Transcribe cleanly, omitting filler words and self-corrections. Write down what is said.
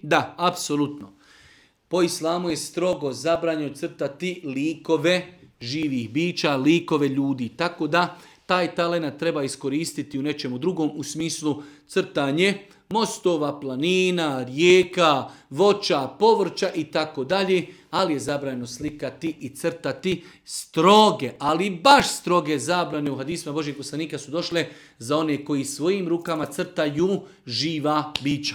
Da, apsolutno. Po islamu je strogo zabranjeno crtati likove živih bića, likove ljudi. Tako da taj talenat treba iskoristiti u nečemu drugom, u smislu crtanje mostova, planina, rijeka, voća, povrća i tako dalje, ali je zabranjeno slikati i crtati stroge, ali baš stroge zabrane u hadisima Božih poslanika su došle za one koji svojim rukama crtaju živa bića.